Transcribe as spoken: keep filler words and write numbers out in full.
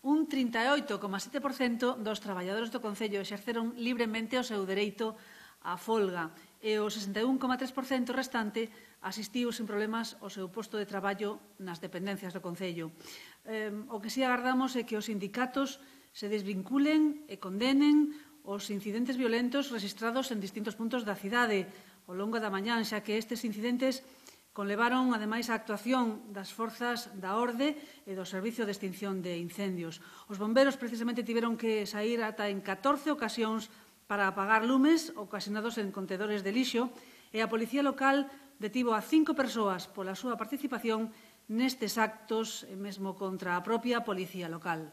un trinta e oito coma sete por cento dos traballadores do Concello exerceron libremente o seu dereito á folga e o sesenta e un coma tres por cento restante asistiu sin problemas ao seu posto de traballo nas dependencias do Concello. Eh, o que si agardamos é que os sindicatos se desvinculen e condenen os incidentes violentos registrados en distintos puntos da cidade ao longo da mañán, xa que estes incidentes conlevaron, ademais, a actuación das forzas da orde e do Servicio de Extinción de Incendios. Os bombeiros precisamente tiveron que saír ata en catorce ocasións para apagar lumes ocasionados en contedores de lixo e a Policía Local detivo a cinco persoas pola súa participación nestes actos e mesmo contra a propia Policía Local.